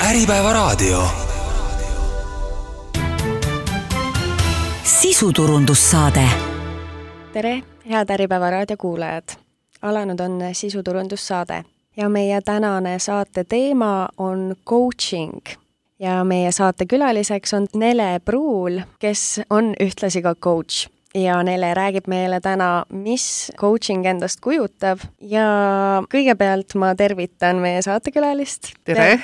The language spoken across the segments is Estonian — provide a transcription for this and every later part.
Äripäevaraadio. Sisuturundussaade. Tere, head Äripäevaraadio kuulajad! Alanud on sisuturundussaade ja meie tänane saate teema on coaching. Ja meie saate külaliseks on Nele Pruul, kes on ühtlasi ka coach. Ja Nele räägib meile täna, mis coaching endast kujutab. Ja kõigepealt ma tervitan meie saatekülalist. Tere!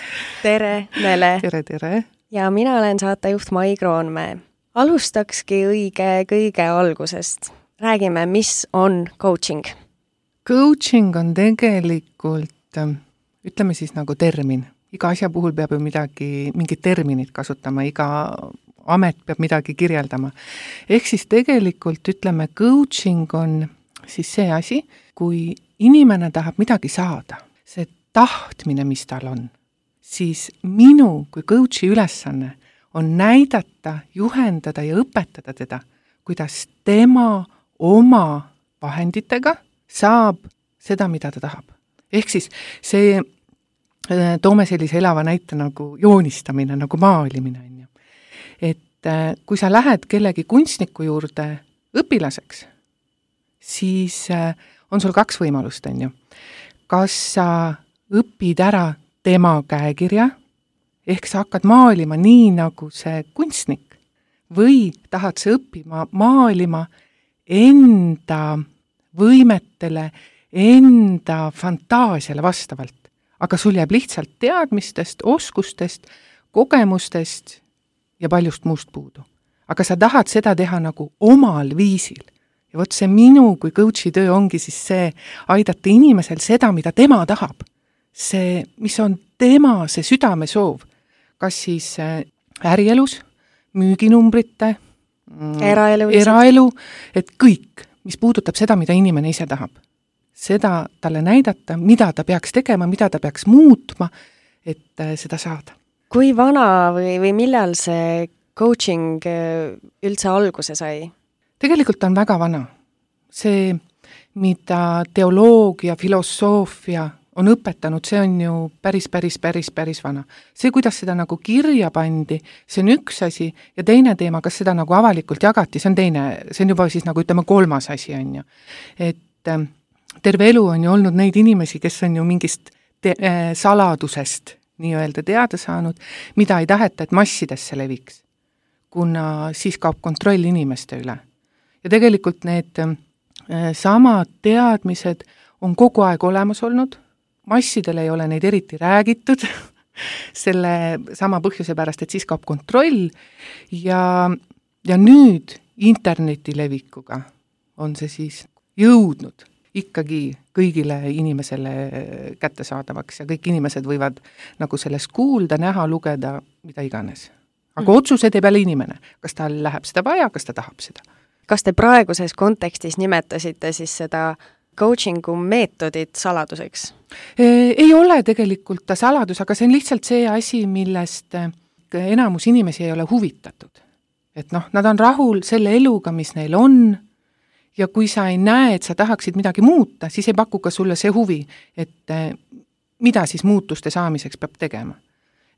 Tere, Nele! Tere! Ja mina olen saatejuht Mai Kroonmäe. Alustakski kõige algusest. Räägime, mis on coaching? Coaching on tegelikult, ütleme siis nagu termin. Iga asja puhul peab ju mingid terminid kasutama, iga amet peab midagi kirjeldama. Ehk siis tegelikult ütleme, coaching on siis see asi, kui inimene tahab midagi saada, see tahtmine, mis tal on, siis minu kui coachi ülesanne on näidata, juhendada ja õpetada teda, kuidas tema oma vahenditega saab seda, mida ta tahab. Ehk siis see, toome sellise elava näite nagu joonistamine, nagu maalimine. Et kui sa lähed kellegi kunstniku juurde õpilaseks, siis on sul kaks võimalust, on ju. Kas sa õpid ära tema käekirja, ehk sa hakkad maalima nii nagu see kunstnik, või tahad sa õppima maalima enda võimetele, enda fantaasiale vastavalt. Aga sul jääb lihtsalt teadmistest, oskustest, kogemustest ja paljust muust puudu. Aga sa tahad seda teha nagu omal viisil. Ja vot see minu kui coachi töö ongi siis see aidata inimesel seda, mida tema tahab. See, mis on tema see südamesoov. Kas siis ärielus, müüginumbrite, eraelu, et kõik, mis puudutab seda, mida inimene ise tahab. Seda talle näidata, mida ta peaks tegema, mida ta peaks muutma, et seda saada. Kui vana või millal see coaching üldse alguse sai? Tegelikult on väga vana. See, mida teoloogia, filosoofia on õpetanud, see on ju päris vana. See, kuidas seda nagu kirja pandi, see on üks asi ja teine teema, kas seda nagu avalikult jagati, see on teine, see on juba siis nagu ütleme kolmas asi on ju. Et terve elu on ju olnud neid inimesi, kes on ju mingist saladusest nii-öelda teada saanud, mida ei taheta, et massidesse leviks, kuna siis kaob kontroll inimeste üle. Ja tegelikult need samad teadmised on kogu aeg olemas olnud, massidele ei ole neid eriti räägitud, selle sama põhjuse pärast, et siis kaob kontroll ja nüüd interneti levikuga on see siis jõudnud ikkagi kõigile inimesele kättesaadavaks ja kõik inimesed võivad nagu sellest kuulda, näha, lugeda, mida iganes. Aga otsuse teeb jälle inimene, kas tal läheb seda vaja, kas ta tahab seda. Kas te praeguses kontekstis nimetasite siis seda coachingu meetodit saladuseks? Ei ole tegelikult ta saladus, aga see on lihtsalt see asi, millest enamus inimesi ei ole huvitatud. Et nad on rahul selle eluga, mis neil on, ja kui sa ei näe, et sa tahaksid midagi muuta, siis ei paku ka sulle see huvi, et mida siis muutuste saamiseks peab tegema.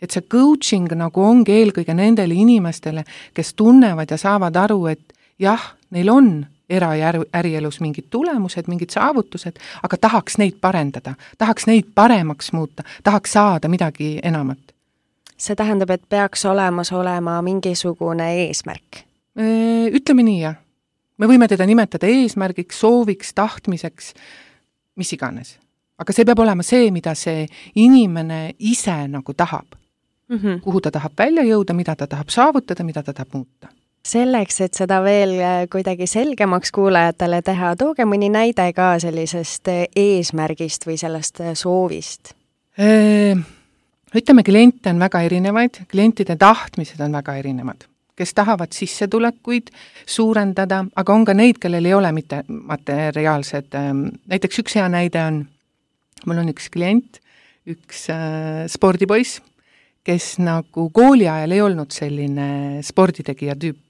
Et see coaching nagu ongi eelkõige nendele inimestele, kes tunnevad ja saavad aru, et jah, neil on era- ja ärielus mingid tulemused, mingid saavutused, aga tahaks neid parendada, tahaks neid paremaks muuta, tahaks saada midagi enamat. See tähendab, et peaks olema mingisugune eesmärk? Ütleme nii, jah. Me võime teda nimetada eesmärgiks, sooviks, tahtmiseks, mis iganes. Aga see peab olema see, mida see inimene ise nagu tahab. Kuhu ta tahab välja jõuda, mida ta tahab saavutada, mida ta tahab muuta. Selleks, et seda veel kuidagi selgemaks kuulajatele teha, tooge mõni näide ka sellisest eesmärgist või sellest soovist? Ütleme, kliente on väga erinevaid, klientide tahtmised on väga erinevad. Kes tahavad sissetulekuid suurendada, aga on ka neid, kellel ei ole mitte materiaalsed. Näiteks üks hea näide on, mul on üks klient, üks spordipoiss, kes nagu kooli ajal ei olnud selline sporditegija tüüp.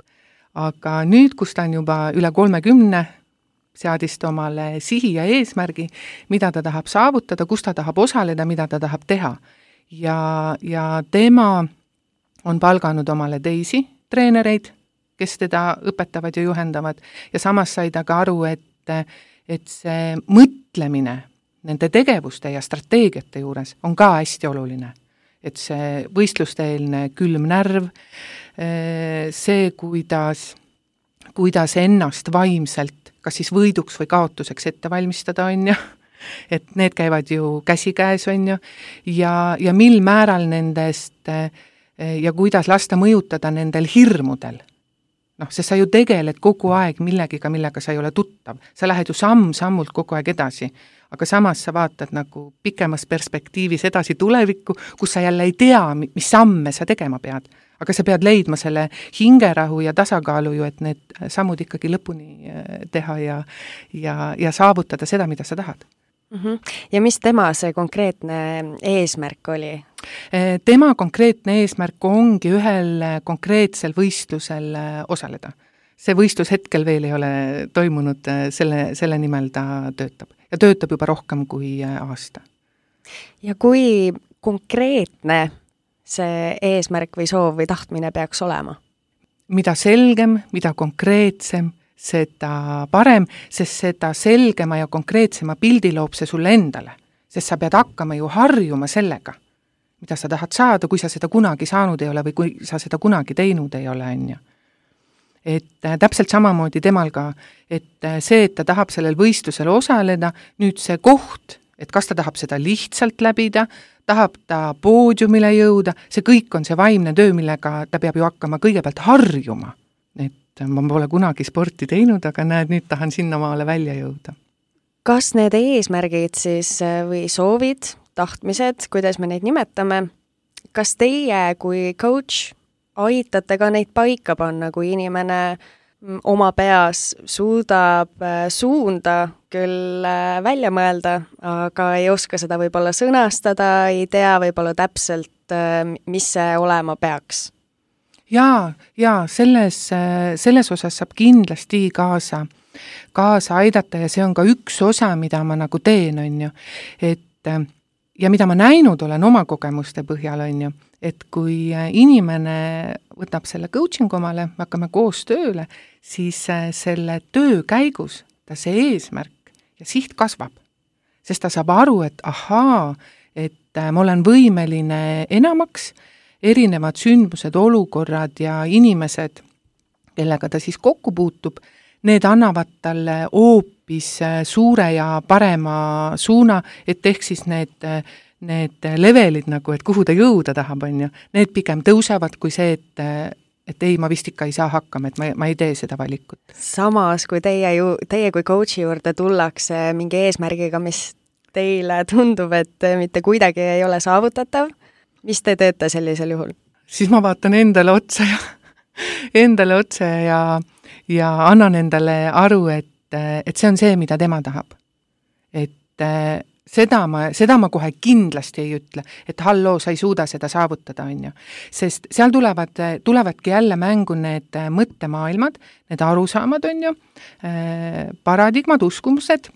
Aga nüüd, kus ta on juba üle 30, seadis omale sihi ja eesmärgi, mida ta tahab saavutada, kus ta tahab osaleda, mida ta tahab teha. ja tema on palganud omale teisi treenereid, kes teda õpetavad ja juhendavad ja samas sai ta ka aru, et see mõtlemine nende tegevuste ja strateegiate juures on ka hästi oluline. Et see võistlusteelne külm närv, see, kuidas ennast vaimselt kas siis võiduks või kaotuseks ette valmistada, on ju, et need käivad ju käsikäes, on ju, ja mil määral nendest ja kuidas lasta mõjutada nendel hirmudel. Sest sa ju tegeled kogu aeg millegiga, millega sa ei ole tuttav. Sa lähed ju samm-sammult kogu aeg edasi, aga samas sa vaatad nagu pikemas perspektiivis edasi tulevikku, kus sa jälle ei tea, mis samme sa tegema pead. Aga sa pead leidma selle hingerahu ja tasakaalu ju, et need sammud ikkagi lõpuni teha ja saavutada seda, mida sa tahad. Ja mis tema see konkreetne eesmärk oli? Tema konkreetne eesmärk ongi ühel konkreetsel võistlusel osaleda. See võistlus hetkel veel ei ole toimunud, selle nimel ta töötab. Ja töötab juba rohkem kui aasta. Ja kui konkreetne see eesmärk või soov või tahtmine peaks olema? Mida selgem, mida konkreetsem, seda parem, sest seda selgema ja konkreetsema pildi loob see sulle endale. Sest sa pead hakkama ju harjuma sellega, mida sa tahad saada, kui sa seda kunagi saanud ei ole või kui sa seda kunagi teinud ei ole, on ju. Et täpselt samamoodi temal ka, et see, et ta tahab sellel võistlusel osaleda, nüüd see koht, et kas ta tahab seda lihtsalt läbida, tahab ta poodiumile jõuda, see kõik on see vaimne töö, millega ta peab ju hakkama kõigepealt harjuma. Et ma pole kunagi sporti teinud, aga näed, nüüd tahan sinnamaale välja jõuda. Kas need eesmärgid siis või soovid, tahtmised, kuidas me neid nimetame, kas teie kui coach aitate ka neid paika panna, kui inimene oma peas suudab suunda küll välja mõelda, aga ei oska seda võib-olla sõnastada, ei tea võib-olla täpselt, mis see olema peaks? Ja selles osas saab kindlasti kaasa aidata ja see on ka üks osa, mida ma nagu teen, on ju, et ja mida ma näinud olen oma kogemuste põhjal, on ju, et kui inimene võtab selle coaching omale, me hakkame koos tööle, siis selle töö käigus ta see eesmärk ja siht kasvab. Sest ta saab aru, et et ma olen võimeline enamaks, erinevad sündmused, olukorrad ja inimesed, kellega ta siis kokku puutub, need annavad talle hoopis suure ja parema suuna, et ehk siis need levelid nagu, et kuhu ta jõuda tahab, on ju, need pigem tõusevad kui see, et ei, ma vist ikka ei saa hakkama, et ma ei tee seda valikut. Samas, kui teie kui coachi juurde tullakse mingi eesmärgiga, mis teile tundub, et mitte kuidagi ei ole saavutatav, mis te teete sellisel juhul? Siis ma vaatan endale otsa ja annan endale aru, et see on see, mida tema tahab. Et seda ma kohe kindlasti ei ütle, et halloo, sa ei suuda seda saavutada, on ju. Sest seal tulevadki jälle mängu need mõttemaailmad, need arusaamad, on ju, paradigmad, uskumused,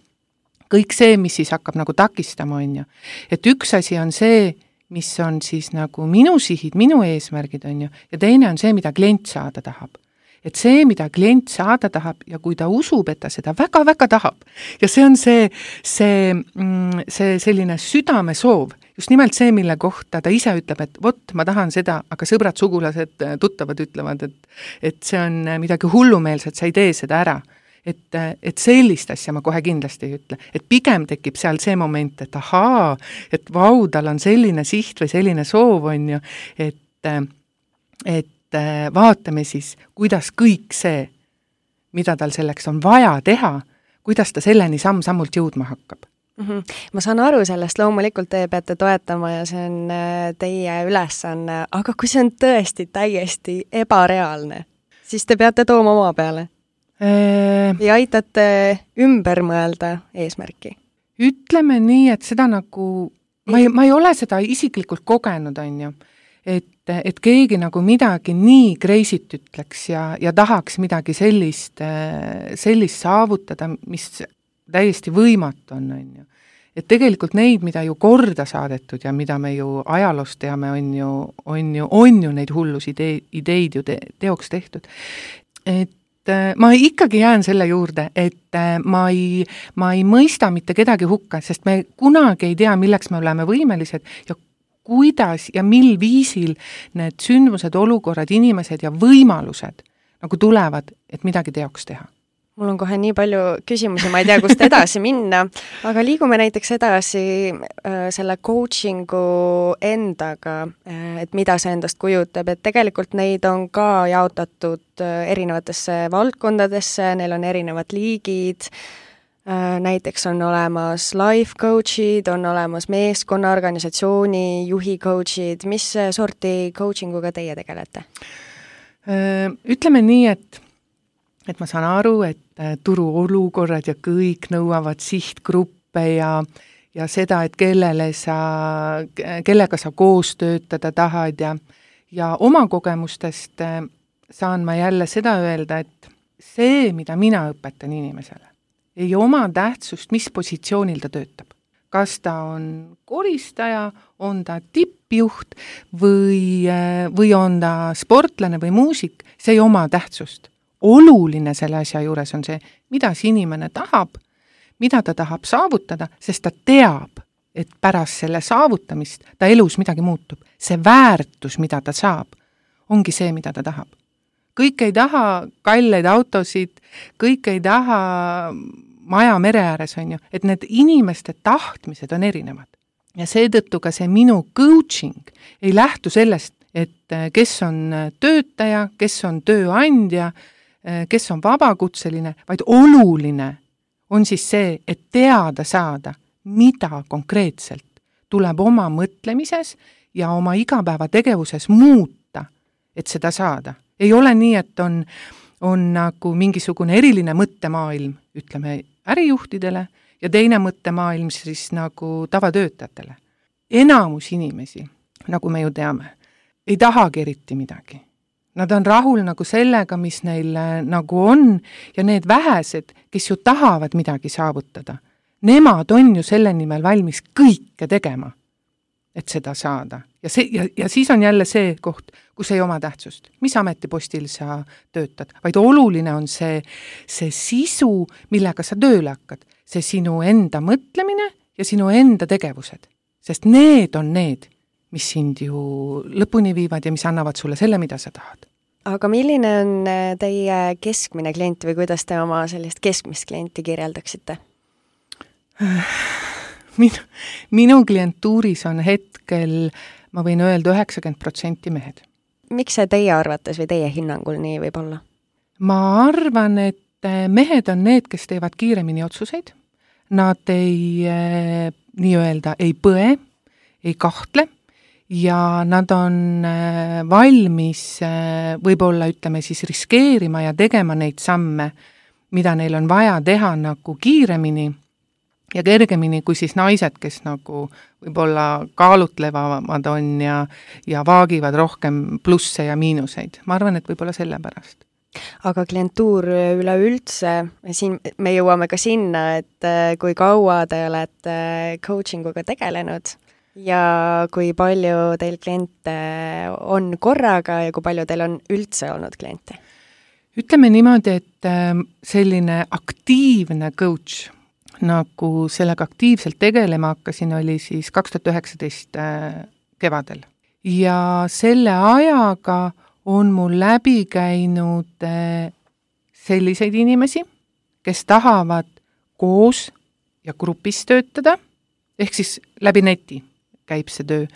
kõik see, mis siis hakkab nagu takistama, on ju. Et üks asi on see, mis on siis nagu minu sihid, minu eesmärgid, on ju, ja teine on see, mida klient saada tahab. Et see, mida klient saada tahab ja kui ta usub, et ta seda väga-väga tahab ja see on see selline südame soov, just nimelt see, mille kohta ta ise ütleb, et vot, ma tahan seda, aga sõbrad, sugulased, tuttavad ütlevad, et see on midagi hullumeelset, sa ei tee seda ära. Et sellist asja ma kohe kindlasti ei ütle. Et pigem tekib seal see moment, et et vau, tal on selline siht või selline soov, on ju, et vaatame siis, kuidas kõik see, mida tal selleks on vaja teha, kuidas ta selleni samm-sammult jõudma hakkab. Ma saan aru sellest, loomulikult te peate toetama ja see on teie ülesanne, aga kui see on tõesti täiesti ebareaalne, siis te peate tooma oma peale. Ja aitate ümber mõelda eesmärki? Ütleme nii, et seda nagu, ma ei ole seda isiklikult kogenud, on ju, et keegi nagu midagi nii kreisit ütleks ja tahaks midagi sellist saavutada, mis täiesti võimatu on ju. et tegelikult neid, mida ju korda saadetud ja mida me ju ajaloost teame, on ju neid hullus ideid ju teoks tehtud. Et ma ikkagi jään selle juurde, et ma ei mõista mitte kedagi hukka, sest me kunagi ei tea, milleks me oleme võimelised ja kuidas ja mil viisil need sündmused, olukorrad, inimesed ja võimalused nagu tulevad, et midagi teoks teha. Mul on kohe nii palju küsimusi, ma ei tea, kust edasi minna, aga liigume näiteks edasi selle coachingu endaga, et mida see endast kujutab, et tegelikult neid on ka jaotatud erinevatesse valdkondadesse, neil on erinevad liigid, näiteks on olemas life coach'id, on olemas meeskonna, organisatsiooni, juhi coach'id, mis sorti coachinguga teie tegelete? Ütleme nii, et ma saan aru, et turu olukorrad ja kõik nõuavad sihtgruppe ja seda, et kellega sa koos töötada tahad ja oma kogemustest saan ma jälle seda öelda, et see, mida mina õpetan inimesele, ei oma tähtsust, mis positsioonil ta töötab. Kas ta on koristaja, on ta tippjuht või on ta sportlane või muusik, see ei oma tähtsust. Oluline selle asja juures on see, mida see inimene tahab, mida ta tahab saavutada, sest ta teab, et pärast selle saavutamist ta elus midagi muutub. See väärtus, mida ta saab, ongi see, mida ta tahab. Kõik ei taha kalleid autosid, kõik ei taha maja mere ääres, on ju, et need inimeste tahtmised on erinevad. Ja seetõttu ka see minu coaching ei lähtu sellest, et kes on töötaja, kes on tööandja, kes on vabakutseline, vaid oluline on siis see, et teada saada, mida konkreetselt tuleb oma mõtlemises ja oma igapäevategevuses muuta, et seda saada. Ei ole nii, et on nagu mingisugune eriline mõttemaailm, ütleme, ärijuhtidele ja teine mõttemaailm siis nagu tavatöötajatele. Enamus inimesi, nagu me ju teame, ei tahagi eriti midagi. Nad on rahul nagu sellega, mis neil nagu on ja need vähesed, kes ju tahavad midagi saavutada, nemad on ju selle nimel valmis kõike tegema, et seda saada. Ja siis on jälle see koht, kus ei oma tähtsust. Mis ametipostil sa töötad? Vaid oluline on see sisu, millega sa tööle hakkad. See sinu enda mõtlemine ja sinu enda tegevused. Sest need on need, mis sind ju lõpuni viivad ja mis annavad sulle selle, mida sa tahad. Aga milline on teie keskmine klient või kuidas te oma sellist keskmist klienti kirjeldaksite? Minu klientuuris on hetkel, ma võin öelda, 90% mehed. Miks see teie arvates või teie hinnangul nii võib olla? Ma arvan, et mehed on need, kes teevad kiiremini otsuseid. Nad ei põe, ei kahtle ja nad on valmis võib-olla ütleme siis riskeerima ja tegema neid samme, mida neil on vaja teha nagu kiiremini ja kergemini kui siis naised, kes nagu võib-olla kaalutlevamad on ja vaagivad rohkem plusse ja miinuseid. Ma arvan, et võib-olla sellepärast. Aga klientuur üleüldse, siin me jõuame ka sinna, et kui kaua te olete coachinguga tegelenud ja kui palju teil kliente on korraga ja kui palju teil on üldse olnud kliente? Ütleme niimoodi, et selline aktiivne coach, nagu sellega aktiivselt tegelema hakkasin, oli siis 2019 kevadel. Ja selle ajaga on mul läbi käinud selliseid inimesi, kes tahavad koos ja grupis töötada, ehk siis läbi neti käib see töö.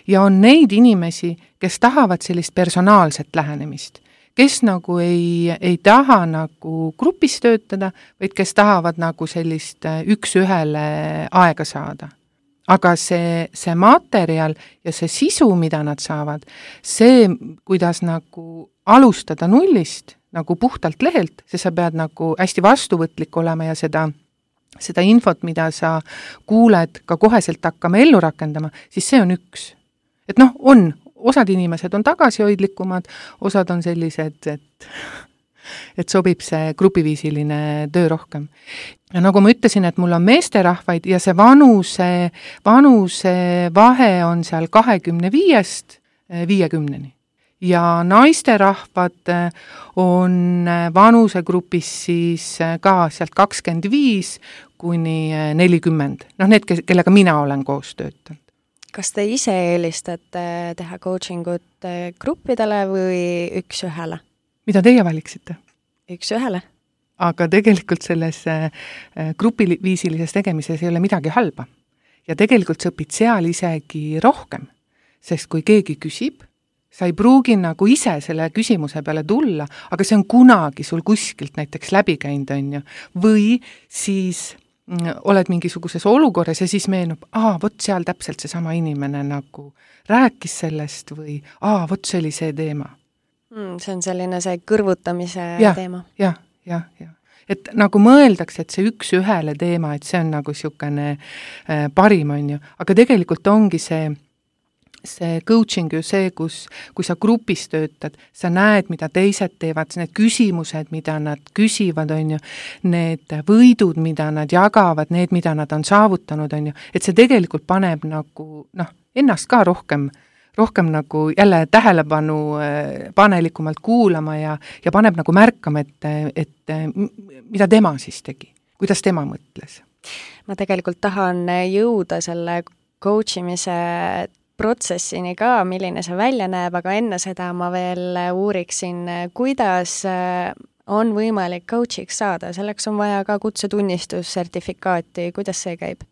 Ja on neid inimesi, kes tahavad sellist personaalset lähenemist, kes nagu ei taha nagu grupis töötada, vaid kes tahavad nagu sellist üks-ühele aega saada. Aga see materjal ja see sisu, mida nad saavad, see, kuidas nagu alustada nullist, nagu puhtalt lehelt, see sa pead nagu hästi vastuvõtlik olema ja seda infot, mida sa kuuled, ka koheselt hakkama ellu rakendama, siis see on üks. Et osad inimesed on tagasihoidlikumad, osad on sellised, et et sobib see grupiviisiline töö rohkem. Ja nagu ma ütlesin, et mul on meesterahvaid ja see vanuse vahe on seal 25-st 50-ni. Ja naisterahvad on vanusegrupis siis ka sealt 25 kuni 40. Need, kellega mina olen koos töötanud. Kas te ise eelistate teha coachingut gruppidele või üks-ühele? Mida teie valiksite? Üks-ühele. Aga tegelikult selles grupiviisilises tegemises ei ole midagi halba. Ja tegelikult sa õpid seal isegi rohkem, sest kui keegi küsib, sa ei pruugi nagu ise selle küsimuse peale tulla, aga see on kunagi sul kuskilt näiteks läbi käinud, on ju. Või siis oled mingisuguses olukorras ja siis meenub, vot seal täpselt seesama inimene nagu rääkis sellest või vot see oli see teema. See on selline see kõrvutamise teema. Ja. Et nagu mõeldakse, et see üks-ühele teema, et see on nagu niisugune parim, on ju. Aga tegelikult ongi see coaching ju see, kui sa grupis töötad, sa näed, mida teised teevad, need küsimused, mida nad küsivad, on ju, need võidud, mida nad jagavad, need, mida nad on saavutanud, on ju, et see tegelikult paneb nagu, ennast ka rohkem nagu jälle tähelepanu panelikumalt kuulama ja paneb nagu märkama, et mida tema siis tegi, kuidas tema mõtles. Ma tegelikult tahan jõuda selle coachimise protsessini ka, milline see välja näeb, aga enne seda ma veel uuriksin, kuidas on võimalik coachiks saada. Selleks on vaja ka kutsetunnistus, sertifikaati. Kuidas see käib?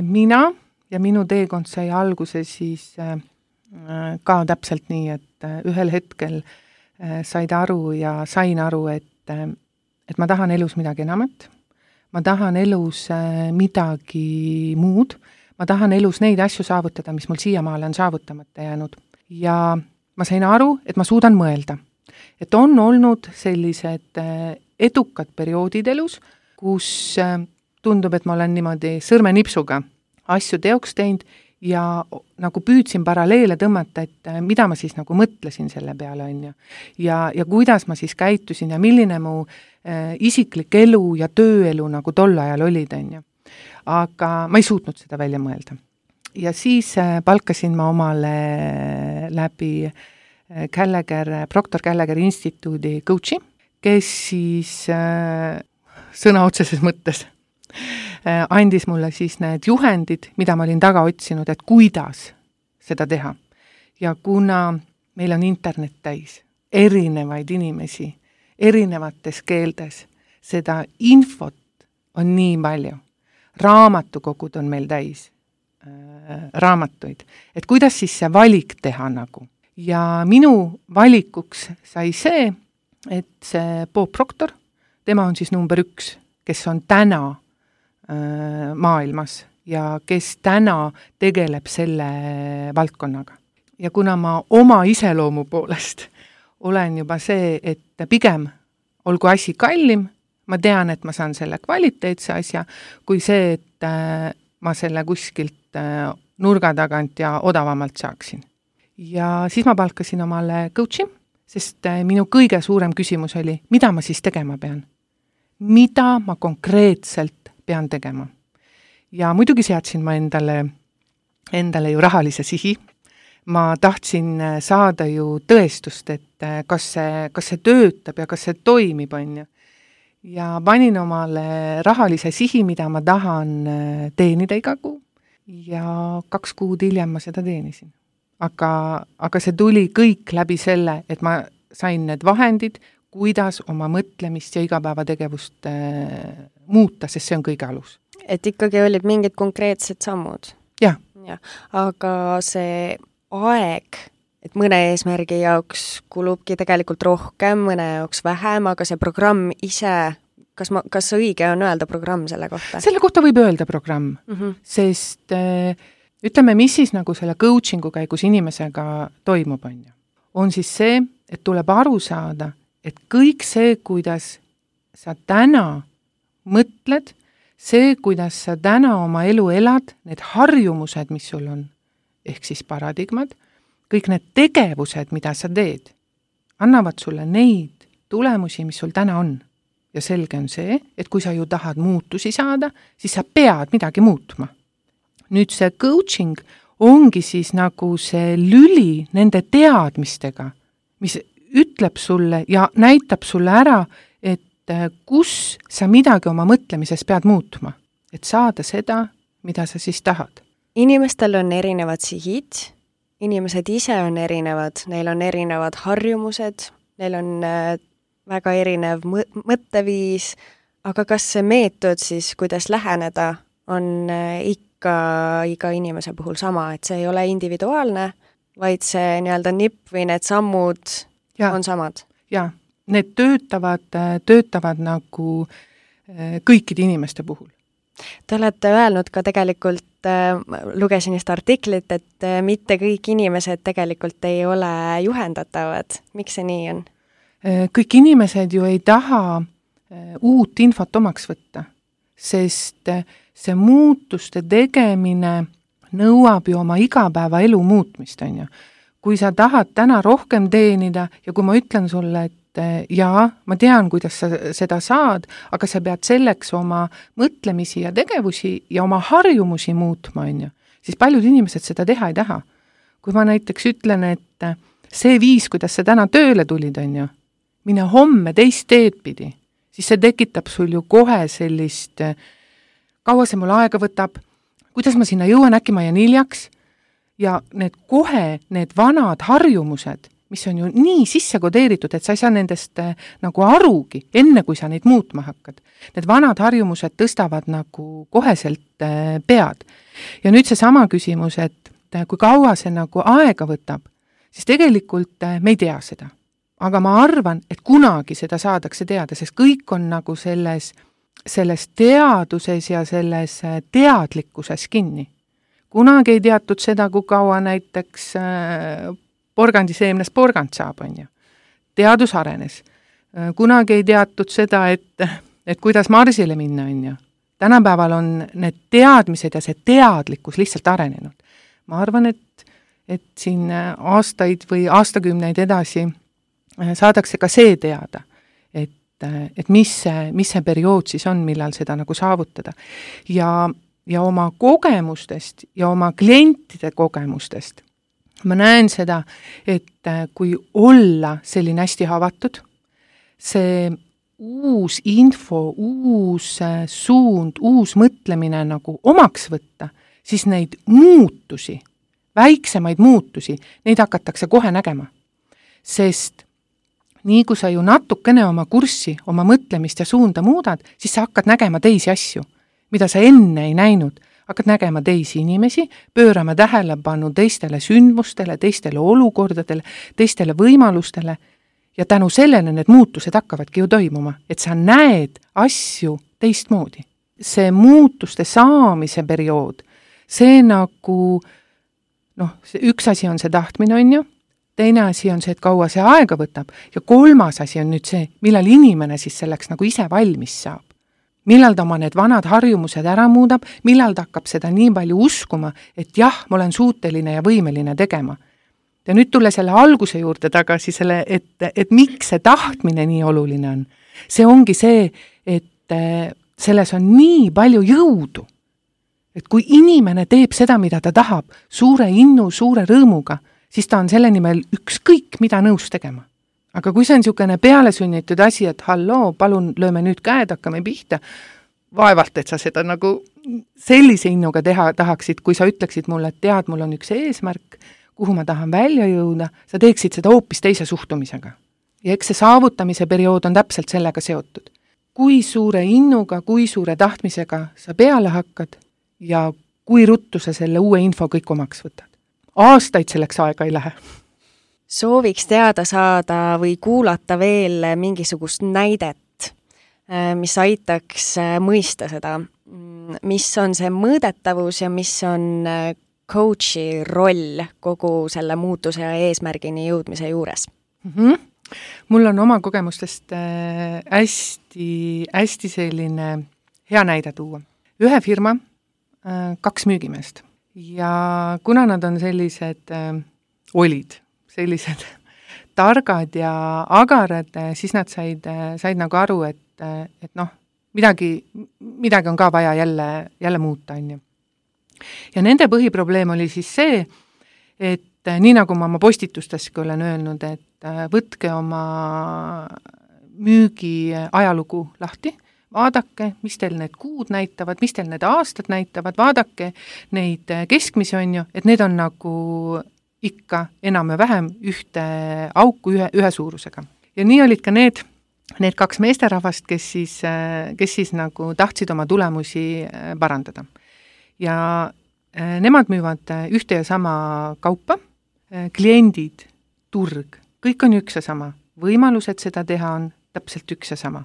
Mina ja minu teekond sai alguse siis ka täpselt nii, et ühel hetkel sain aru, et ma tahan elus midagi enamat. Ma tahan elus midagi muud. Ma tahan elus neid asju saavutada, mis mul siiamaale on saavutamata jäänud. Ja ma sain aru, et ma suudan mõelda. Et on olnud sellised edukad perioodid elus, kus tundub, et ma olen niimoodi sõrmenipsuga asju teoks teinud ja nagu püüdsin paralleele tõmmata, et mida ma siis nagu mõtlesin selle peale, on ju. Ja kuidas ma siis käitusin ja milline mu isiklik elu ja tööelu nagu tol ajal olid, on ju. Aga ma ei suutnud seda välja mõelda. Ja siis palkasin ma omale läbi Proctor Gallagher instituudi coachi, kes siis sõna otseses mõttes andis mulle siis need juhendid, mida ma olin taga otsinud, et kuidas seda teha. Ja kuna meil on internet täis erinevaid inimesi, erinevates keeltes, seda infot on nii palju. Raamatukogud on meil täis raamatuid. Et kuidas siis see valik teha nagu? Ja minu valikuks sai see, et see Bob Proctor, tema on siis number 1, kes on täna maailmas ja kes täna tegeleb selle valdkonnaga. Ja kuna ma oma iseloomu poolest olen juba see, et pigem olgu asi kallim, ma tean, et ma saan selle kvaliteetse asja, kui see, et ma selle kuskilt nurga tagant ja odavamalt saaksin. Ja siis ma palkasin omale coachi, sest minu kõige suurem küsimus oli, mida ma siis tegema pean? Mida ma konkreetselt pean tegema? Ja muidugi seadsin ma endale ju rahalise sihi. Ma tahtsin saada ju tõestust, et kas see töötab ja kas see toimib, on ju. Ja panin omale rahalise sihi, mida ma tahan teenida iga kuu ja 2 kuud hiljem ma seda teenisin. Aga see tuli kõik läbi selle, et ma sain need vahendid, kuidas oma mõtlemist ja igapäevategevust muuta, sest see on kõige alus. Et ikkagi olid mingid konkreetsed sammud? Jah. Aga see aeg, et mõne eesmärgi jaoks kulubki tegelikult rohkem, mõne jaoks vähem, aga see programm ise, kas õige on öelda programm selle kohta? Selle kohta võib öelda programm, sest ütleme, mis siis nagu selle coachingu käigus inimesega toimub, on siis see, et tuleb aru saada, et kõik see, kuidas sa täna mõtled, see, kuidas sa täna oma elu elad, need harjumused, mis sul on, ehk siis paradigmad, kõik need tegevused, mida sa teed, annavad sulle neid tulemusi, mis sul täna on. Ja selge on see, et kui sa ju tahad muutusi saada, siis sa pead midagi muutma. Nüüd see coaching ongi siis nagu see lüli nende teadmistega, mis ütleb sulle ja näitab sulle ära, et kus sa midagi oma mõtlemises pead muutma, et saada seda, mida sa siis tahad. Inimestel on erinevad sihid, inimesed ise on erinevad, neil on erinevad harjumused, neil on väga erinev mõtteviis, aga kas see meetod siis, kuidas läheneda, on ikka iga inimese puhul sama, et see ei ole individuaalne, vaid see nii-öelda nipp või need sammud on samad? Jaa, need töötavad nagu kõikide inimeste puhul. Te olete öelnud ka tegelikult, lugesin just artiklit, et mitte kõik inimesed tegelikult ei ole juhendatavad. Miks see nii on? Kõik inimesed ju ei taha uut infot omaks võtta, sest see muutuste tegemine nõuab ju oma igapäeva elu muutmist, on ju. Kui sa tahad täna rohkem teenida ja kui ma ütlen sulle, et jaa, ma tean, kuidas sa seda saad, aga sa pead selleks oma mõtlemisi ja tegevusi ja oma harjumusi muutma, on ju, siis paljud inimesed seda teha ei taha. Kui ma näiteks ütlen, et see viis, kuidas sa täna tööle tulid, on ju, mine homme teist teed pidi, siis see tekitab sul ju kohe sellist, kaua see mul aega võtab, kuidas ma sinna jõuan, äkki ma jään hiljaks, ja need vanad harjumused, mis on ju nii sisse kodeeritud, et sa ei saa nendest nagu arugi, enne kui sa neid muutma hakkad. Need vanad harjumused tõstavad nagu koheselt pead. Ja nüüd see sama küsimus, et kui kaua see nagu aega võtab, siis tegelikult me ei tea seda. Aga ma arvan, et kunagi seda saadakse teada, sest kõik on nagu selles teaduses ja selles teadlikkuses kinni. Kunagi ei teatud seda, kui kaua näiteks porgandiseemnest porgand saab, on ju. Teadus arenes. Kunagi ei teatud seda, et kuidas Marsile minna, on ju. Tänapäeval on need teadmised ja see teadlikkus lihtsalt arenenud. Ma arvan, et siin aastaid või aastakümneid edasi saadakse ka see teada, et mis see periood siis on, millal seda nagu saavutada. Ja oma kogemustest ja oma klientide kogemustest ma näen seda, et kui olla selline hästi havatud, see uus info, uus suund, uus mõtlemine nagu omaks võtta, siis neid muutusi, väiksemaid muutusi, neid hakatakse kohe nägema. Sest nii kui sa ju natukene oma kurssi, oma mõtlemist ja suunda muudad, siis sa hakkad nägema teisi asju, mida sa enne ei näinud. Hakkad nägema teisi inimesi, pöörama tähelepanu teistele sündmustele, teistele olukordadele, teistele võimalustele ja tänu sellele need muutused hakkavadki ju toimuma, et sa näed asju teistmoodi. See muutuste saamise periood, see nagu, üks asi on see tahtmine, on ju, teine asi on see, et kaua see aega võtab ja kolmas asi on nüüd see, millal inimene siis selleks nagu ise valmis saab. Millal ta oma need vanad harjumused ära muudab, millal ta hakkab seda nii palju uskuma, et jah, ma olen suuteline ja võimeline tegema. Ja nüüd tule selle alguse juurde tagasi, et miks see tahtmine nii oluline on. See ongi see, et selles on nii palju jõudu. Et kui inimene teeb seda, mida ta tahab, suure innu, suure rõõmuga, siis ta on selle nimel ükskõik, mida nõus tegema. Aga kui see on niisugune pealesunnitud asi, et halloo, palun lööme nüüd käed, hakkame pihta, vaevalt, et sa seda nagu sellise innuga teha tahaksid, kui sa ütleksid mulle, et tead, mul on üks eesmärk, kuhu ma tahan välja jõuda, sa teeksid seda hoopis teise suhtumisega. Ja eks see saavutamise periood on täpselt sellega seotud. Kui suure innuga, kui suure tahtmisega sa peale hakkad ja kui ruttu sa selle uue info kõik omaks võtad. Aastaid selleks aega ei lähe. Sooviks teada saada või kuulata veel mingisugust näidet, mis aitaks mõista seda, mis on see mõõdetavus ja mis on coachi roll kogu selle muutuse ja eesmärgini jõudmise juures? Mul on oma kogemustest hästi selline hea näide tuua. Ühe firma, 2 müügimeest ja kuna nad on sellised olid, sellised targad ja agarad, siis nad said nagu aru, et noh, midagi on ka vaja jälle muuta, on ju. Ja nende põhiprobleem oli siis see, et nii nagu ma oma postitusteski olen öelnud, et võtke oma müügi ajalugu lahti, vaadake, mis teil need kuud näitavad, mis teil need aastad näitavad, vaadake neid keskmisi, on ju, et need on nagu ikka enam ja vähem ühte auku ühe suurusega. Ja nii olid ka need kaks meesterahvast, kes siis nagu tahtsid oma tulemusi parandada. Ja nemad müüvad ühte ja sama kaupa, kliendid, turg, kõik on üks ja sama. Võimalused seda teha on täpselt üks ja sama.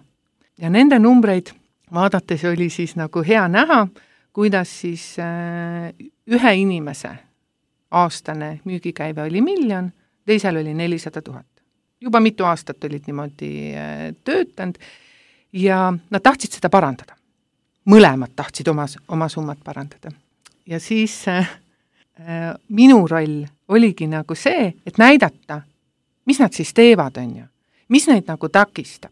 Ja nende numbreid vaadates oli siis nagu hea näha, kuidas siis ühe inimese aastane müügikäive oli 1 000 000, teisel oli 400 000. Juba mitu aastat olid niimoodi töötanud ja nad tahtsid seda parandada. Mõlemad tahtsid oma summat parandada. Ja siis minu roll oligi nagu see, et näidata, mis nad siis teevad, on ju, mis neid nagu takistab.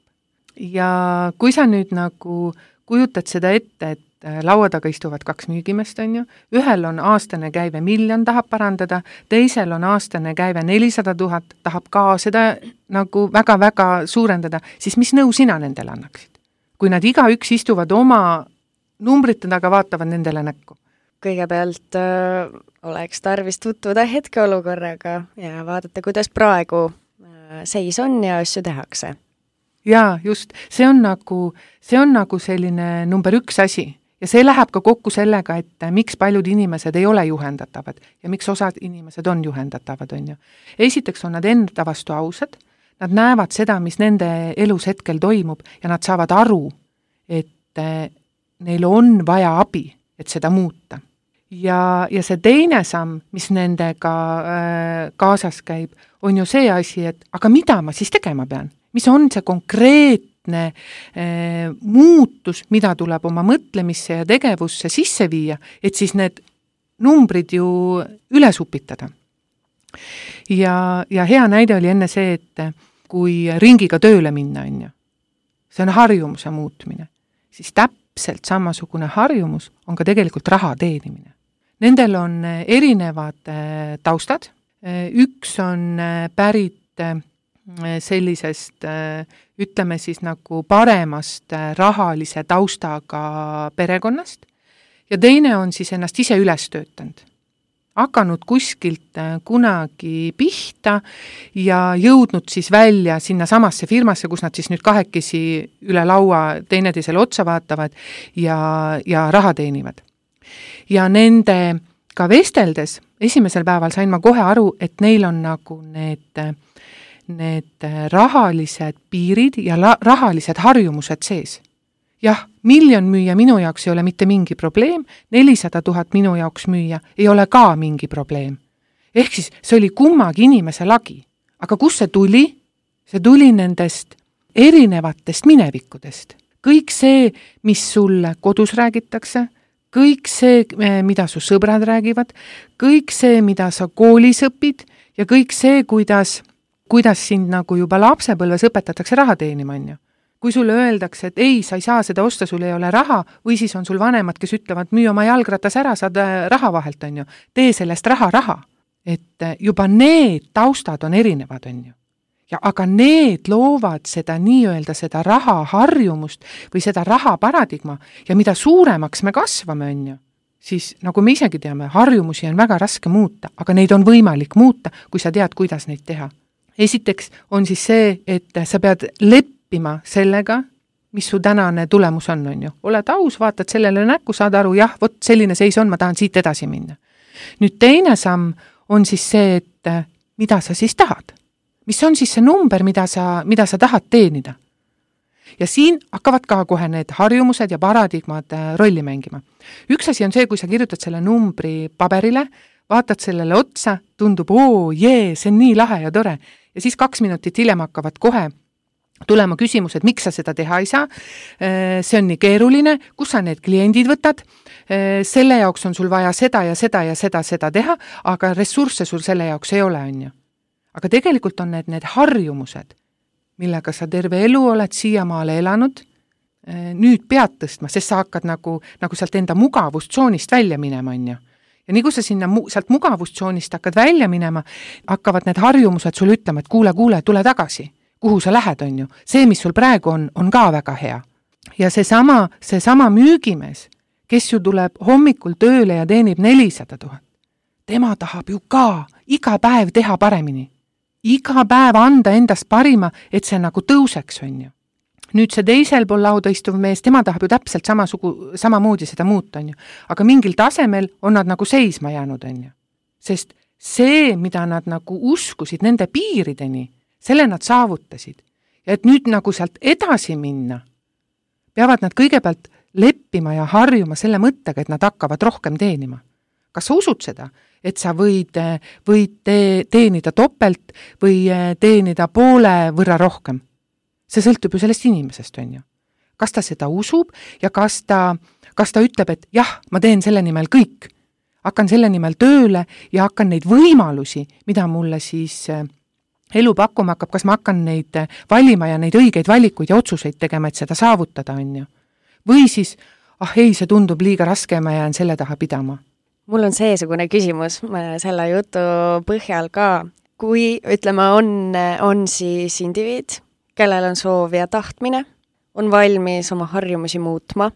Ja kui sa nüüd nagu kujutad seda ette, et laua taga istuvad 2 müügimeest, on ju, ühel on aastane käive 1 000 000, tahab parandada, teisel on aastane käive 400 000, tahab ka seda nagu väga-väga suurendada, siis mis nõu sina nendele annaksid? Kui nad igaüks istuvad oma numbrite taga, vaatavad nendele näkku. Kõigepealt oleks tarvis tutvuda hetkeolukorraga ja vaadata, kuidas praegu seis on ja asju tehakse. Jaa, just. See on nagu selline number 1 asi. Ja see läheb ka kokku sellega, et miks paljud inimesed ei ole juhendatavad ja miks osad inimesed on juhendatavad, on ju. Esiteks on nad enda vastu ausad, nad näevad seda, mis nende elus hetkel toimub ja nad saavad aru, et neil on vaja abi, et seda muuta. Ja see teine samm, mis nendega kaasas käib, on ju see asi, et aga mida ma siis tegema pean? Mis on see konkreetne muutus, mida tuleb oma mõtlemisse ja tegevusse sisse viia, et siis need numbrid ju üles upitada. Ja hea näide oli enne see, et kui ringiga tööle minna, on ju, see on harjumuse muutmine, siis täpselt samasugune harjumus on ka tegelikult raha teenimine. Nendel on erinevad taustad, üks on pärit sellisest, ütleme siis nagu paremast rahalise taustaga perekonnast ja teine on siis ennast ise üles töötanud. Hakanud kuskilt kunagi pihta ja jõudnud siis välja sinna samasse firmasse, kus nad siis nüüd kahekesi üle laua teineteisele otsa vaatavad ja raha teenivad. Ja nende ka vesteldes esimesel päeval sain ma kohe aru, et neil on nagu need rahalised piirid ja rahalised harjumused sees. Jah, 1 000 000 müüa minu jaoks ei ole mitte mingi probleem, 400 000 minu jaoks müüa ei ole ka mingi probleem. Ehk siis see oli kummagi inimese lagi. Aga kus see tuli? See tuli nendest erinevatest minevikudest. Kõik see, mis sulle kodus räägitakse, kõik see, mida su sõbrad räägivad, kõik see, mida sa koolis õpid ja kõik see, kuidas sind nagu juba lapsepõlves õpetatakse raha teenima, on ju. Kui sulle öeldakse, et ei, sa ei saa seda osta, sul ei ole raha, või siis on sul vanemad, kes ütlevad, müü oma jalgratas ära, saad raha vahelt, on ju. Tee sellest raha. Et juba need taustad on erinevad, on ju. Ja aga need loovad seda nii-öelda seda raha harjumust või seda raha paradigma ja mida suuremaks me kasvame, on ju, siis nagu me isegi teame, harjumusi on väga raske muuta, aga neid on võimalik muuta, kui sa tead, kuidas neid teha. Esiteks on siis see, et sa pead leppima sellega, mis su tänane tulemus on ju. Oled aus, vaatad sellele näkku, saad aru, jah, vot selline seis on, ma tahan siit edasi minna. Nüüd teine samm on siis see, et mida sa siis tahad. Mis on siis see number, mida sa tahad teenida? Ja siin hakkavad ka kohe need harjumused ja paradigmad rolli mängima. Üks asi on see, kui sa kirjutad selle numbri paberile, vaatad sellele otsa, tundub, see on nii lahe ja tore. Ja siis 2 minutit hiljem hakkavad kohe tulema küsimused, miks sa seda teha ei saa, see on nii keeruline, kus sa need kliendid võtad, selle jaoks on sul vaja seda ja seda ja seda teha, aga ressursse sul selle jaoks ei ole, on ju. aga tegelikult on need harjumused, millega sa terve elu oled siiamaale elanud, nüüd pead tõstma, sest sa hakkad nagu sealt enda mugavustsoonist välja minema, on ju. Ja nii kui sa sinna sealt mugavustsoonist hakkad välja minema, hakkavad need harjumused sul ütlema, et kuule, tule tagasi, kuhu sa lähed, on ju. See, mis sul praegu on ka väga hea. Ja seesama müügimees, kes ju tuleb hommikul tööle ja teenib 400 000, tema tahab ju ka iga päev teha paremini. Iga päev anda endast parima, et see nagu tõuseks, on ju. Nüüd see teisel pool lauda istuv mees, tema tahab ju täpselt samamoodi seda muuta, on ju. Aga mingil tasemel on nad nagu seisma jäänud, on ju. Sest see, mida nad nagu uskusid nende piirideni, selle nad saavutasid. Ja et nüüd nagu sealt edasi minna, peavad nad kõigepealt leppima ja harjuma selle mõttega, et nad hakkavad rohkem teenima. Kas sa usud seda, et sa võid teenida topelt või teenida poole võrra rohkem? See sõltub ju sellest inimesest, on ju. Kas ta seda usub ja kas ta ütleb, et jah, ma teen selle nimel kõik. Hakkan selle nimel tööle ja hakkan neid võimalusi, mida mulle siis elu pakkuma hakkab, kas ma hakkan neid valima ja neid õigeid valikuid ja otsuseid tegema, et seda saavutada, on ju. Või siis, ei, see tundub liiga raske, ma jään selle taha pidama. Mul on seesugune küsimus selle jutu põhjal ka. Kui, ütleme, on siis indiviid, kellel on soov ja tahtmine, on valmis oma harjumusi muutma,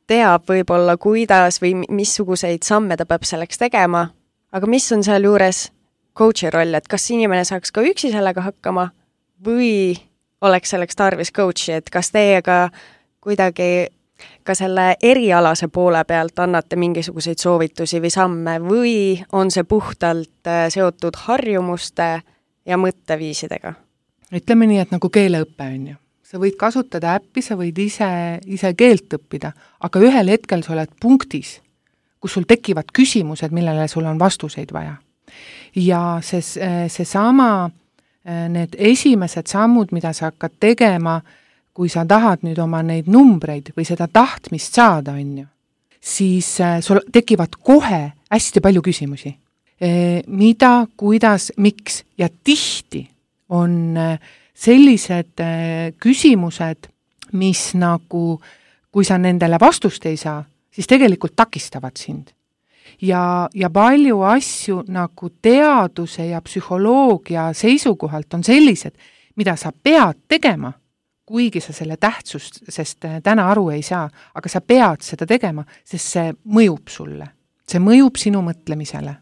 teab võib-olla kuidas või missuguseid samme ta peab selleks tegema, aga mis on seal juures coachi roll, et kas inimene saaks ka üksi sellega hakkama või oleks selleks tarvis coachi, et kas teiega kuidagi ka selle erialase poole pealt annate mingisuguseid soovitusi või samme või on see puhtalt seotud harjumuste ja mõtteviisidega? Ütleme nii, et nagu keeleõppe, on ju. Sa võid kasutada äppi, sa võid ise keelt õppida, aga ühel hetkel sa oled punktis, kus sul tekivad küsimused, millele sul on vastuseid vaja. Ja seesama, need esimesed sammud, mida sa hakkad tegema, kui sa tahad nüüd oma neid numbreid või seda tahtmist saada, on ju, siis sul tekivad kohe hästi palju küsimusi. Mida, kuidas, miks ja tihti on sellised küsimused, mis nagu, kui sa nendele vastust ei saa, siis tegelikult takistavad sind. Ja palju asju nagu teaduse ja psühholoogia seisukohalt on sellised, mida sa pead tegema, kuigi sa selle tähtsust, sest täna aru ei saa, aga sa pead seda tegema, sest see mõjub sulle. See mõjub sinu mõtlemisele.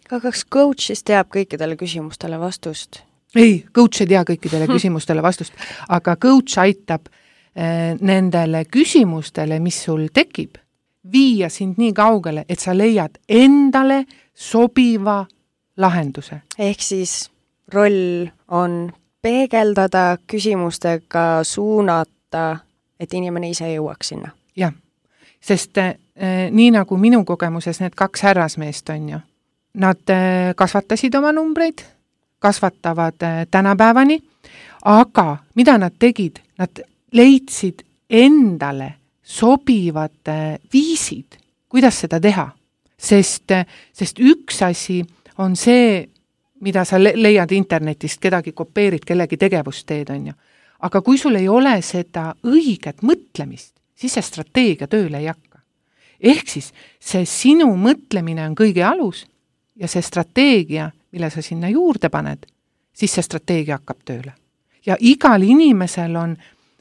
Aga kas coach siis teab kõikidele küsimustele vastust? Ei, coach ei tea kõikidele küsimustele vastust, aga coach aitab nendele küsimustele, mis sul tekib, viia sind nii kaugele, et sa leiad endale sobiva lahenduse. Ehk siis roll on peegeldada, küsimustega suunata, et inimene ise jõuaks sinna. Jah, sest nii nagu minu kogemuses need 2 härrasmeest on ju, nad kasvatasid oma numbreid, kasvatavad tänapäevani, aga mida nad tegid? Nad leidsid endale sobivad viisid, kuidas seda teha. Sest üks asi on see, mida sa leiad internetist, kedagi kopeerid, kellegi tegevust teed, on ju. Aga kui sul ei ole seda õiget mõtlemist, siis see strateegia tööle ei hakka. Ehk siis see sinu mõtlemine on kõige alus ja see strateegia, mille sa sinna juurde paned, siis see strateegia hakkab tööle. Ja igal inimesel on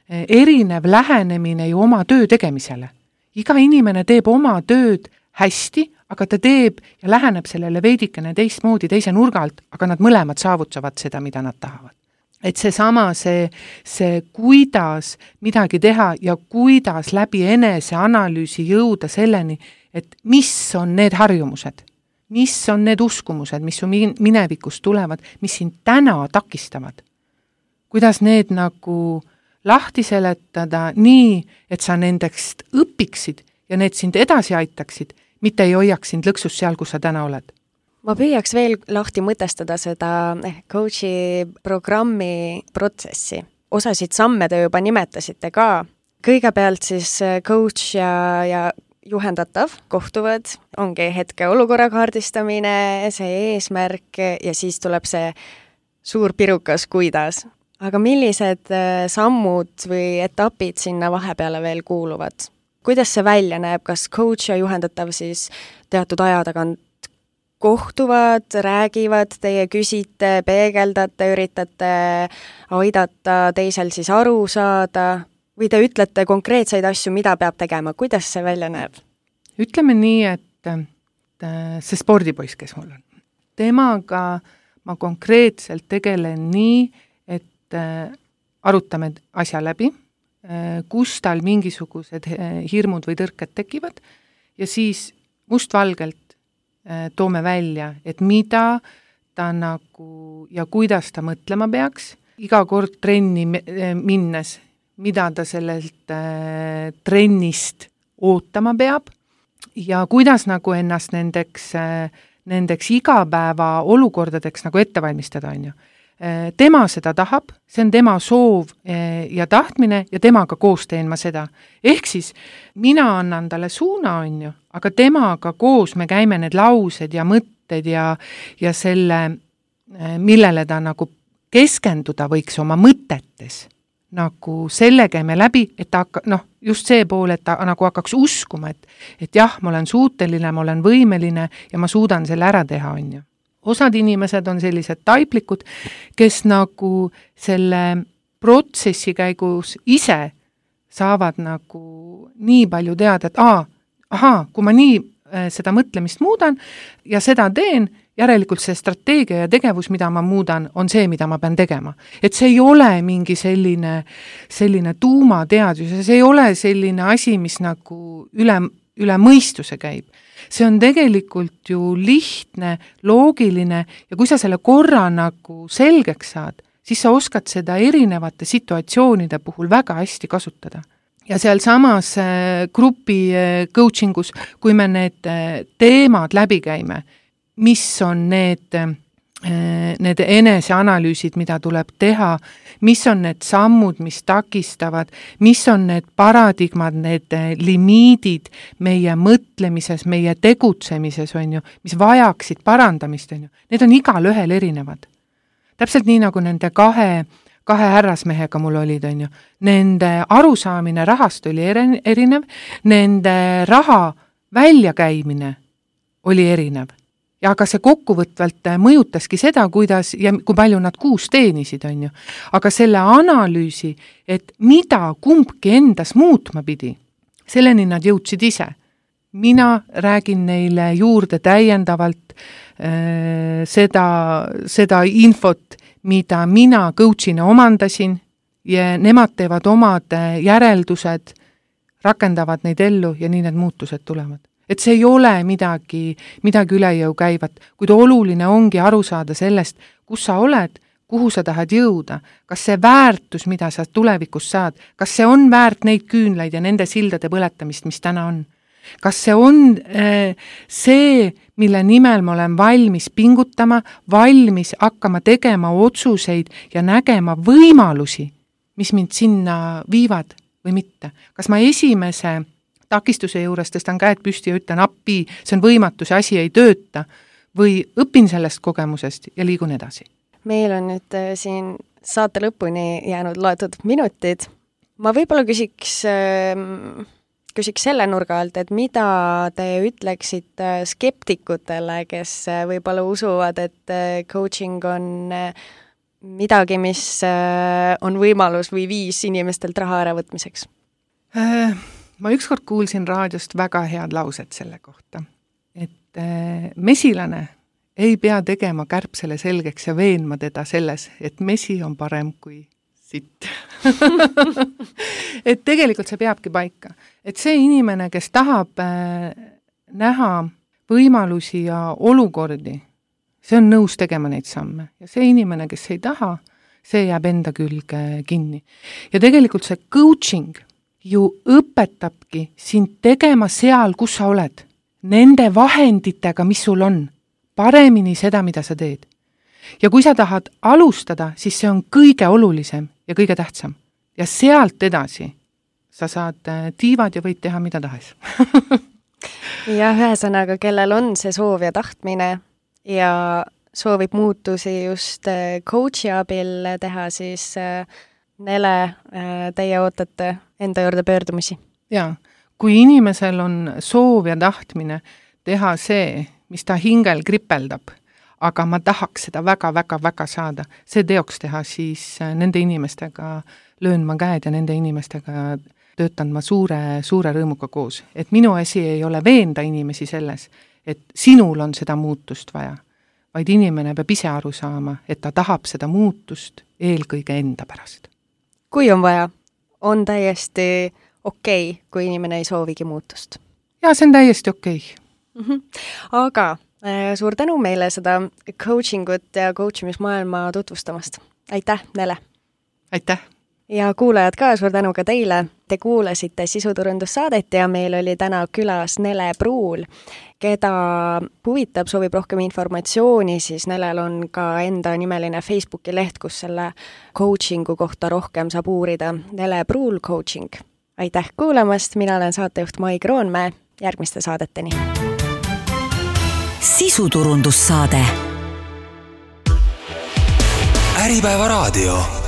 erinev lähenemine ju oma töö tegemisele. Iga inimene teeb oma tööd hästi, aga ta teeb ja läheneb sellele veidikene teistmoodi, teise nurga alt, aga nad mõlemad saavutavad seda, mida nad tahavad. Et seesama, see kuidas midagi teha ja kuidas läbi eneseanalüüsi jõuda selleni, et mis on need harjumused, mis on need uskumused, mis su minevikus tulevad, mis sind täna takistavad. Kuidas need nagu lahti seletada nii, et sa nendest õpiksid ja need sind edasi aitaksid, mitte ei hoiaks sind lõksus seal, kus sa täna oled. Ma püüaks veel lahti mõtestada seda coachi programmi protsessi. Osasid samme te juba nimetasite ka. Kõigepealt siis coach ja juhendatav kohtuvad, ongi hetke olukorra kaardistamine, see eesmärk ja siis tuleb see suur pirukas, kuidas. Aga millised sammud või etapid sinna vahepeale veel kuuluvad? Kuidas see välja näeb, kas coach ja juhendatav siis teatud aja tagant kohtuvad, räägivad, teie küsite, peegeldate, üritate aidata teisel siis aru saada või te ütlete konkreetseid asju, mida peab tegema, kuidas see välja näeb? Ütleme nii, et see spordipoiss, kes mul on, temaga ma konkreetselt tegelen nii, et arutame asja läbi, kus tal mingisugused hirmud või tõrked tekivad ja siis mustvalgelt toome välja, et mida ta nagu ja kuidas ta mõtlema peaks, iga kord trenni minnes, mida ta sellelt trennist ootama peab ja kuidas nagu ennast nendeks igapäeva olukordadeks nagu ette valmistada, on ju. Tema seda tahab, see on tema soov ja tahtmine ja temaga koos teen ma seda. Ehk siis mina annan talle suuna, on ju, aga temaga koos me käime need laused ja mõtted ja selle, millele ta nagu keskenduda võiks oma mõtetes. Nagu selle käime läbi, et ta just see pool, et ta nagu hakkaks uskuma, et jah, ma olen suuteline, ma olen võimeline ja ma suudan selle ära teha, on ju. Osad inimesed on sellised taiplikud, kes nagu selle protsessi käigus ise saavad nagu nii palju teada, et kui ma nii seda mõtlemist muudan ja seda teen, järelikult see strateegia ja tegevus, mida ma muudan, on see, mida ma pean tegema. Et see ei ole mingi selline tuumateadus ja see ei ole selline asi, mis nagu üle mõistuse käib. See on tegelikult ju lihtne, loogiline ja kui sa selle korra nagu selgeks saad, siis sa oskad seda erinevate situatsioonide puhul väga hästi kasutada. Ja seal samas grupi coachingus, kui me need teemad läbi käime, mis on need eneseanalüüsid, mida tuleb teha, mis on need sammud, mis takistavad, mis on need paradigmad, need limiidid meie mõtlemises, meie tegutsemises, on ju, mis vajaksid parandamist, on ju. Need on igal ühel erinevad. Täpselt nii nagu nende kahe härrasmehega mul olid, on ju. Nende arusaamine rahast oli erinev, nende raha väljakäimine oli erinev. Ja aga see kokkuvõtvalt mõjutaski seda, kuidas ja kui palju nad kuus teenisid, on ju. Aga selle analüüsi, et mida kumbki endas muutma pidi, selleni nad jõudsid ise. Mina räägin neile juurde täiendavalt seda infot, mida mina coachina omandasin ja nemad teevad omad järeldused, rakendavad neid ellu ja nii need muutused tulevad. Et see ei ole midagi üle jõu käivat, kuid oluline ongi aru saada sellest, kus sa oled, kuhu sa tahad jõuda, kas see väärtus, mida sa tulevikus saad, kas see on väärt neid küünlaid ja nende sildade põletamist, mis täna on. Kas see on see, mille nimel ma olen valmis pingutama, valmis hakkama tegema otsuseid ja nägema võimalusi, mis mind sinna viivad või mitte. Kas ma esimese takistuse juures tõstan käed püsti ja ütlen appi, see on võimatu, see asi ei tööta või õpin sellest kogemusest ja liigun edasi. Meil on nüüd siin saate lõpuni jäänud loetud minutid. Ma võib-olla küsiks selle nurga alt, et mida te ütleksite skeptikutele, kes võib-olla usuvad, et coaching on midagi, mis on võimalus või viis inimestelt raha äravõtmiseks? Ma ükskord kuulsin raadiost väga head lauset selle kohta, et mesilane ei pea tegema kärbsele selgeks ja veenma teda selles, et mesi on parem kui sitt. Et tegelikult see peabki paika. Et see inimene, kes tahab näha võimalusi ja olukordi, see on nõus tegema neid samme. Ja see inimene, kes ei taha, see jääb enda külge kinni. Ja tegelikult see coaching ju õpetabki sind tegema seal, kus sa oled. Nende vahenditega, mis sul on. Paremini seda, mida sa teed. Ja kui sa tahad alustada, siis see on kõige olulisem ja kõige tähtsam. Ja sealt edasi sa saad tiivad ja võid teha mida tahes. Ja ühesõnaga, kellel on see soov ja tahtmine ja soovib muutusi just coach'i abil teha, siis Nele, teie ootate enda juurde pöördumisi? Jaa, kui inimesel on soov ja tahtmine teha see, mis ta hingel kripeldab, aga ma tahaks seda väga saada, see teoks teha, siis nende inimestega löön ma käed ja nende inimestega töötan ma suure rõõmuga koos. Et minu asi ei ole veenda inimesi selles, et sinul on seda muutust vaja, vaid inimene peab ise aru saama, et ta tahab seda muutust eelkõige enda pärast. Kui on vaja, on täiesti okei, kui inimene ei soovigi muutust? Jaa, see on täiesti okei. Aga suur tänu meile seda coachingut ja coachimismaailma tutvustamast. Aitäh, Nele! Aitäh! Ja kuulajad ka, suur tänu ka teile. Te kuulasite sisuturundussaadet ja meil oli täna külas Nele Pruul, keda huvitab, soovib rohkem informatsiooni, siis Nelel on ka enda nimeline Facebooki leht, kus selle coachingu kohta rohkem saab uurida. Nele Pruul coaching. Aitäh kuulamast, mina olen saatejuht Mai Kroonmäe, järgmiste saadeteni. Sisuturundussaade. Äripäeva raadio.